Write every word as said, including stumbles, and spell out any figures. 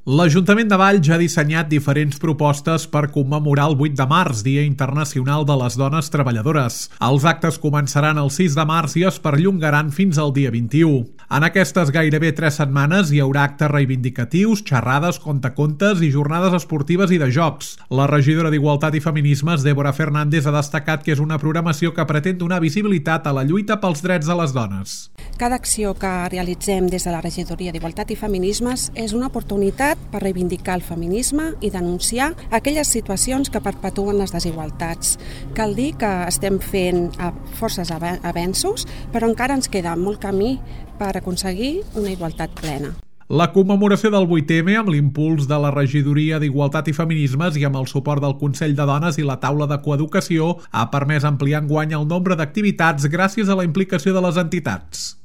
L'Ajuntament de Valls ha dissenyat diferents propostes per commemorar el vuit de març, Dia Internacional de les Dones Treballadores. Els actes començaran el sis de març i es perllongaran fins al dia vint-i-u. En aquestes gairebé tres setmanes hi haurà actes reivindicatius, xerrades, contacontes i jornades esportives i de jocs. La regidora d'Igualtat i Feminismes, Débora Fernández, ha destacat que és una programació que pretén donar visibilitat a la lluita pels drets de les dones. Cada acció que realitzem des de la regidoria d'Igualtat i Feminismes és una oportunitat per reivindicar el feminisme i denunciar aquelles situacions que perpetuen les desigualtats. Cal dir que estem fent forces avenços, però encara ens queda molt camí per aconseguir una igualtat plena. La commemoració del vuit eme, amb l'impuls de la regidoria d'Igualtat i Feminismes i amb el suport del Consell de Dones i la taula de coeducació, ha permès ampliar enguany el nombre d'activitats gràcies a la implicació de les entitats.